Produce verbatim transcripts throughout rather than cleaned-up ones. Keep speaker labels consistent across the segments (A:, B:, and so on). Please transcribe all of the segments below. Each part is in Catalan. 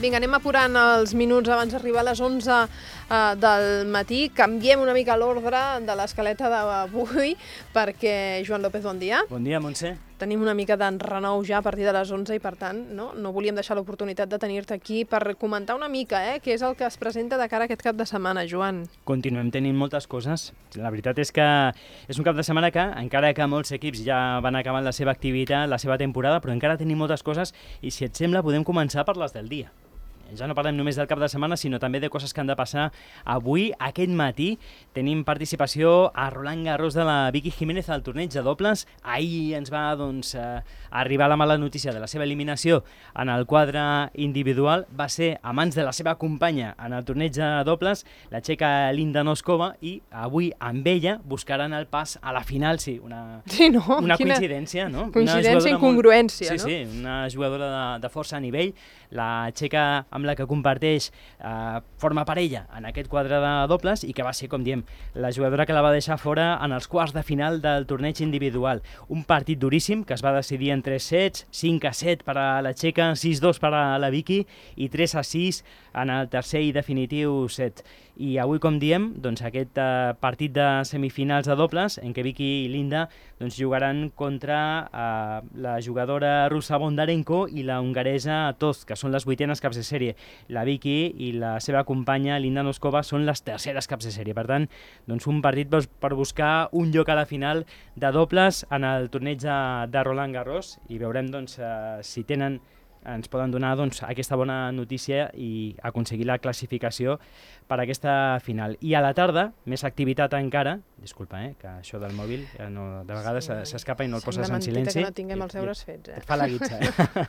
A: Vinga, anem apurant els minuts abans d'arribar a les onze uh, del matí. Canviem una mica l'ordre de l'escaleta d'avui perquè, Joan López, bon dia.
B: Bon dia, Montse.
A: Tenim una mica d'enrenou ja a partir de les onze i, per tant, no, no volíem deixar l'oportunitat de tenir-te aquí per comentar una mica eh, què és el que es presenta de cara a aquest cap de setmana, Joan.
B: Continuem tenint moltes coses. La veritat és que és un cap de setmana que, encara que molts equips ja van acabant la seva activitat, la seva temporada, però encara tenim moltes coses i, si et sembla, podem començar per les del dia. Ja no parlem només del cap de setmana, sinó també de coses que han de passar avui. Aquest matí tenim participació a Roland Garros de la Vicky Jiménez al torneig de dobles. Ahir ens va doncs, eh, arribar la mala notícia de la seva eliminació en el quadre individual. Va ser a mans de la seva companya en el torneig de dobles, la txeca Linda Noskova, i avui amb ella buscaran el pas a la final. Sí, una,
A: sí, no?
B: una
A: Quina
B: coincidència, no?
A: Coincidència i incongruència,
B: molt...
A: no?
B: Sí, sí, una jugadora de, de força nivell. La txeca amb la que comparteix eh, forma parella en aquest quadre de dobles i que va ser, com diem, la jugadora que la va deixar fora en els quarts de final del torneig individual. Un partit duríssim que es va decidir en tres sets, cinc a set per a la txeca, sis a dos per a la Vicky i tres a sis en el tercer i definitiu set. I avui, com diem, doncs, aquest eh, partit de semifinals de dobles en què Vicky i Linda doncs, jugaran contra eh, la jugadora russa Bondarenko i la hongaresa Toth, que són les vuitenes caps de sèrie. La Vicky i la seva companya Linda Noskova són les terceres caps de sèrie. Per tant, doncs, un partit per buscar un lloc a la final de dobles en el torneig de, de Roland Garros i veurem doncs, eh, si tenen ens poden donar doncs, aquesta bona notícia i aconseguir la classificació per a aquesta final. I a la tarda, més activitat encara, disculpa, eh, que això del mòbil ja no, de vegades sí, s'escapa i no el poses en silenci.
A: Que no tinguem els deures fets. Eh?
B: Et fa la guitza, eh?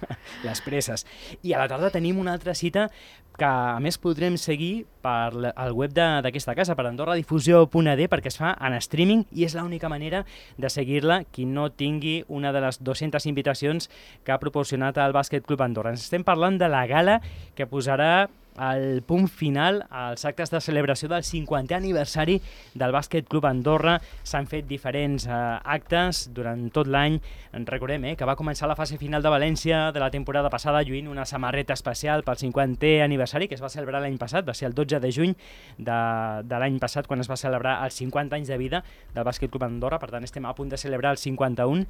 B: Les presses. I a la tarda tenim una altra cita que a més podrem seguir per el web d'aquesta casa, per andorradifusió punt a d, perquè es fa en streaming i és l'única manera de seguir-la qui no tingui una de les dues-centes invitacions que ha proporcionat el Bàsquet Club Andorra. Ens estem parlant de la gala que posarà el punt final als actes de celebració del cinquantè aniversari del Bàsquet Club Andorra. S'han fet diferents eh, actes durant tot l'any. Recordem eh, que va començar la fase final de València de la temporada passada lluint una samarreta especial pel cinquantè aniversari que es va celebrar l'any passat, va ser el dotze de juny de, de l'any passat quan es va celebrar els cinquanta anys de vida del Bàsquet Club Andorra. Per tant, estem a punt de celebrar el cinquanta-un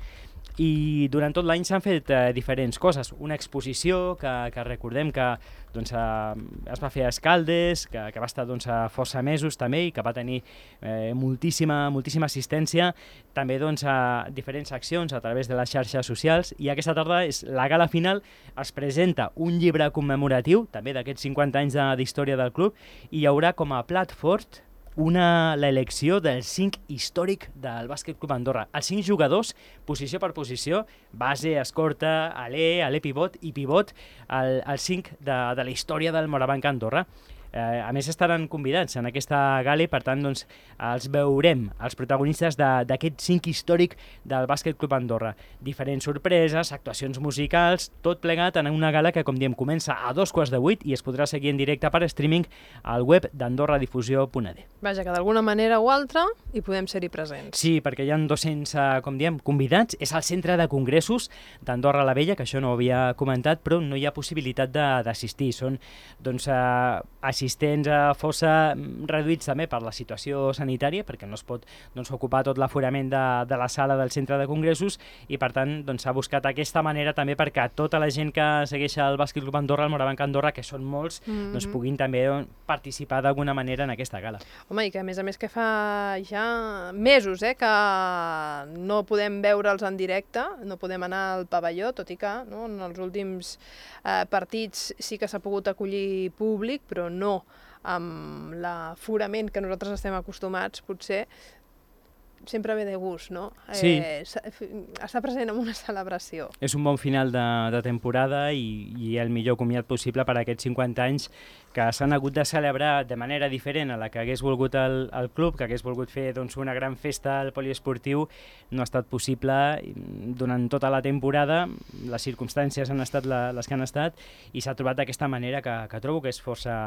B: i durant tot l'any s'han fet eh, diferents coses. Una exposició que, que recordem que doncs, eh, es va fer a Escaldes, que, que va estar doncs, a força mesos també i que va tenir eh, moltíssima, moltíssima assistència, també doncs, a diferents accions a través de les xarxes socials. I aquesta tarda és la gala final, es presenta un llibre commemoratiu també d'aquests cinquanta anys d'història del club i hi haurà com a plat fort una l'elecció del cinc històric del Bàsquet Club Andorra. Els cinc jugadors, posició per posició, base, escorta, alè, alè pivot i pivot, el, el cinc de, de la història del Morabanc Andorra. Eh, a més, estaran convidats en aquesta gala i, per tant, doncs, els veurem, els protagonistes d'aquest cinc històric del Bàsquet Club Andorra. Diferents sorpreses, actuacions musicals, tot plegat en una gala que, com diem, comença a dos quarts de vuit i es podrà seguir en directe per streaming al web d'andorradifusió punt a d.
A: Vaja, que d'alguna manera o altra hi podem ser-hi presents.
B: Sí, perquè hi ha dos-cents, com diem, convidats. És el centre de congressos d'Andorra la Vella, que això no ho havia comentat, però no hi ha possibilitat d'assistir. Són, doncs, eh, assistents a força reduïts també per la situació sanitària, perquè no es pot doncs, ocupar tot l'aforament de, de la sala del centre de congressos i, per tant, doncs, s'ha buscat aquesta manera també perquè tota la gent que segueix el Bàsquet Club Andorra, el Morabanc Andorra, que són molts, mm-hmm. doncs, puguin també doncs, participar d'alguna manera en aquesta gala.
A: Home, i que a més a més que fa ja mesos eh, que no podem veure'ls en directe, no podem anar al pavelló, tot i que no, en els últims eh, partits sí que s'ha pogut acollir públic, però no amb l'aforament que nosaltres estem acostumats, potser sempre ve de gust, no?
B: Sí.
A: Eh, està present en una celebració.
B: És un bon final de, de temporada i, i el millor comiat possible per a aquests cinquanta anys que s'han hagut de celebrar de manera diferent a la que hagués volgut el, el club, que hagués volgut fer doncs, una gran festa al poliesportiu. No ha estat possible durant tota la temporada, les circumstàncies han estat la, les que han estat i s'ha trobat d'aquesta manera que, que trobo que és força,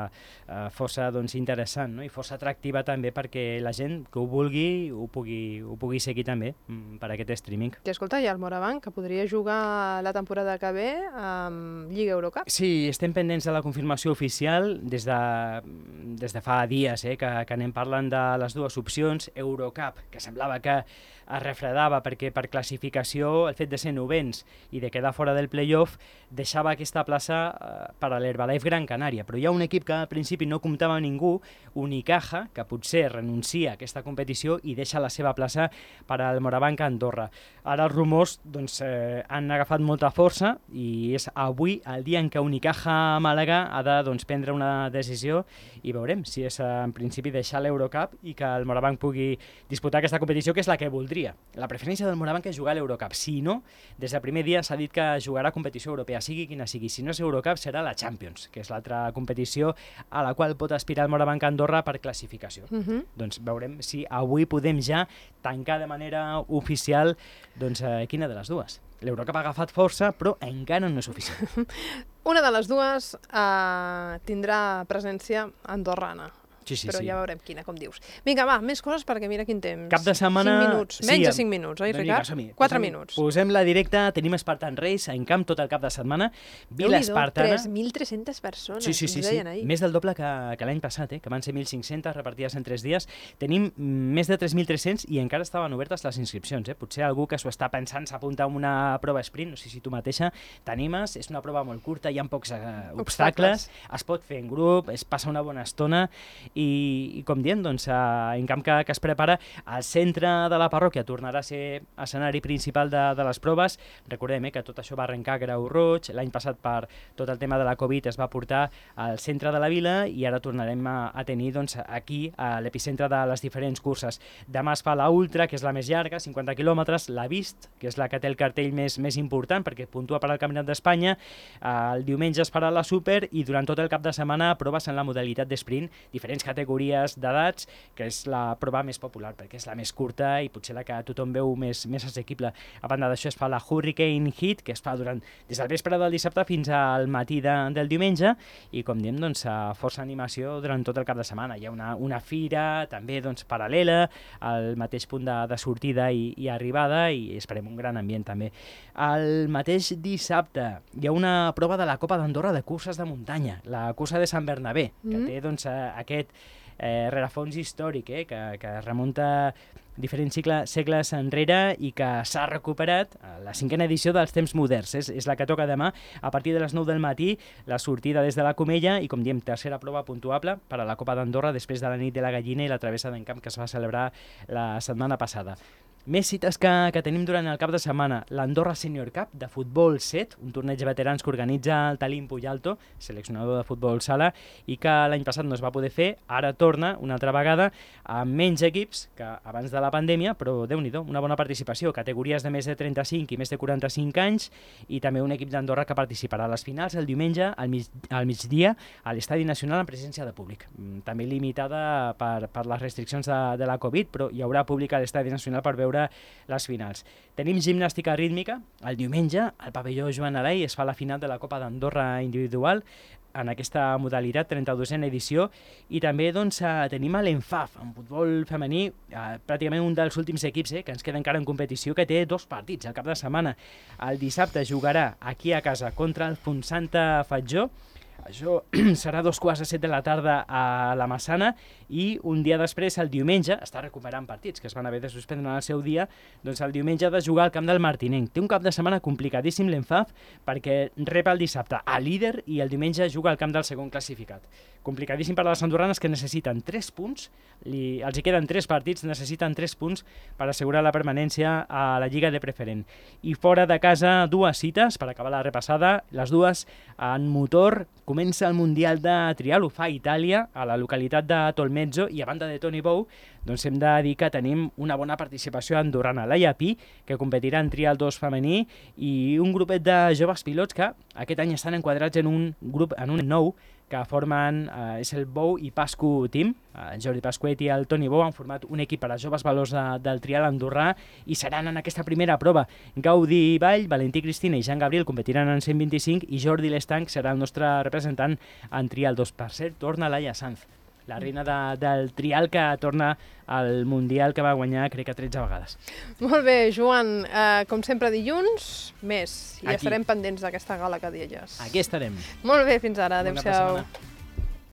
B: uh, força doncs, interessant, no? I força atractiva també perquè la gent que ho vulgui ho pugui pugui, ho pugui seguir també per aquest streaming.
A: I escolta, hi ha el Morabanc, que podria jugar la temporada que ve amb Lliga Eurocup.
B: Sí, estem pendents de la confirmació oficial des de, des de fa dies, eh, que, que anem parlant de les dues opcions. Eurocup, que semblava que es refredava perquè per classificació el fet de ser novens i de quedar fora del playoff deixava aquesta plaça eh, per a l'Herbalife Gran Canària, però hi ha un equip que al principi no comptava amb ningú, Unicaja, que potser renuncia a aquesta competició i deixa la seva plaça per al Morabanc a Andorra. Ara els rumors doncs, eh, han agafat molta força i és avui el dia en què Unicaja Màlaga ha de doncs, prendre una decisió i veurem si és en principi deixar l'Eurocup i que el Morabanc pugui disputar aquesta competició, que és la que voldria. La preferència del Morabanc és jugar a l'Eurocup. Si no, des del primer dia s'ha dit que jugarà competició europea, sigui quina sigui. Si no és Eurocup, serà la Champions, que és l'altra competició a la qual pot aspirar el Morabanc a Andorra per classificació. Uh -huh. Doncs veurem si avui podem ja tancar de manera oficial doncs, eh, quina de les dues. L'Eurocup ha agafat força, però encara no és oficial.
A: Una de les dues eh, tindrà presència andorrana.
B: Sí, sí,
A: però
B: sí.
A: ja veurem quina, com dius. Vinga, va, més coses perquè mira quin temps.
B: Cap de setmana...
A: cinc minuts, menys de cinc minuts, oi, Ricard? quatre minuts.
B: Posem-la directa, tenim Spartan Race en camp tot el cap de setmana. Vila Espartana...
A: tres mil tres-centes persones,
B: sí, sí, sí, sí. Més del doble que, que l'any passat, eh? Que van ser mil cinc-centes repartides en tres dies. Tenim més de tres mil tres-cents i encara estaven obertes les inscripcions. Eh? Potser algú que s'ho està pensant s'apunta a una prova sprint, no sé si tu mateixa t'animes, és una prova molt curta, hi ha pocs eh, obstacles, obstacles, es pot fer en grup, es passa una bona estona i, i com dient, doncs, en camp que, que es prepara, al centre de la parròquia tornarà a ser escenari principal de, de les proves. Recordem eh, que tot això va arrencar a Grau Roig, l'any passat per tot el tema de la Covid es va portar al centre de la vila i ara tornarem a, a tenir doncs, aquí a l'epicentre de les diferents curses. Demà es fa la Ultra, que és la més llarga, cinquanta quilòmetres, la Vist, que és la que té el cartell més, més important perquè puntua per al Campionat d'Espanya, el diumenge es farà la Super i durant tot el cap de setmana proves en la modalitat d'esprint, diferents categories d'edats, que és la prova més popular perquè és la més curta i potser la que tothom veu més, més assequible. A banda d'això es fa la Hurricane Heat, que es fa durant, des del vespre del dissabte fins al matí de, del diumenge i com diem, doncs, força animació durant tot el cap de setmana. Hi ha una, una fira també doncs, paral·lela al mateix punt de, de sortida i, i arribada i esperem un gran ambient també. El mateix dissabte hi ha una prova de la Copa d'Andorra de curses de muntanya, la cursa de Sant Bernabé, que mm. té doncs, aquest Eh, rerefons històric, eh, que, que remunta diferents cicle, segles enrere i que s'ha recuperat a la cinquena edició dels temps moderns. És, és la que toca demà a partir de les nou del matí, la sortida des de la Comella i, com diem, tercera prova puntuable per a la Copa d'Andorra després de la nit de la gallina i la travessa d'encamp que es va celebrar la setmana passada. Més cites que, que tenim durant el cap de setmana. L'Andorra Senior Cup de futbol set, un torneig de veterans que organitza el Talim Puyalto, seleccionador de futbol sala, i que l'any passat no es va poder fer. Ara torna una altra vegada amb menys equips que abans de la pandèmia, però déu-n'hi-do, una bona participació. Categories de més de trenta-cinc i més de quaranta-cinc anys i també un equip d'Andorra que participarà a les finals el diumenge al, mig, al migdia a l'Estadi Nacional en presència de públic. També limitada per, per les restriccions de, de la Covid, però hi haurà públic a l'Estadi Nacional per veure les finals. Tenim gimnàstica rítmica. El diumenge, al pavelló Joan Alai, es fa la final de la Copa d'Andorra individual en aquesta modalitat, trenta-dosena edició, i també doncs, tenim l'Enfaf, en futbol femení, eh, pràcticament un dels últims equips eh, que ens queda encara en competició, que té dos partits al cap de setmana. El dissabte jugarà aquí a casa contra el Fontsanta Fatjó. Això serà dos quarts de set de la tarda a la Massana i un dia després, el diumenge, està recuperant partits que es van haver de suspendre en el seu dia, doncs el diumenge ha de jugar al camp del Martinenc. Té un cap de setmana complicadíssim l'Enfaf perquè rep el dissabte a líder i el diumenge juga al camp del segon classificat. Complicadíssim per a les andorranes que necessiten tres punts, li, els hi queden tres partits, necessiten tres punts per assegurar la permanència a la Lliga de Preferent. I fora de casa, dues cites per acabar la repassada, les dues en motor. Comença el Mundial de Trial, ho fa a Itàlia, a la localitat de Tolmezzo, i a banda de Toni Bou, doncs hem de dir que tenim una bona participació andorrana. Laia Pi, que competirà en Trial dos femení, i un grupet de joves pilots que aquest any estan enquadrats en un grup, en un nou, que formen, eh, és el Bou i Pascu Team. El Jordi Pasquet i el Toni Bou han format un equip per a joves valors de, del trial andorrà i seran en aquesta primera prova. Gaudi Vall, Valentí Cristina i Jean Gabriel competiran en cent vint-i-cinc i Jordi Lestanc serà el nostre representant en trial dos. Per cert, torna Laia Sanz. la reina de, del trial que torna al Mundial que va guanyar, crec que tretze vegades.
A: Molt bé, Joan, eh, com sempre dilluns, més. I
B: Aquí.
A: estarem pendents d'aquesta gala que deies.
B: Aquí estarem.
A: Molt bé, fins ara.
B: Bona
A: Adéu-siau.
B: setmana.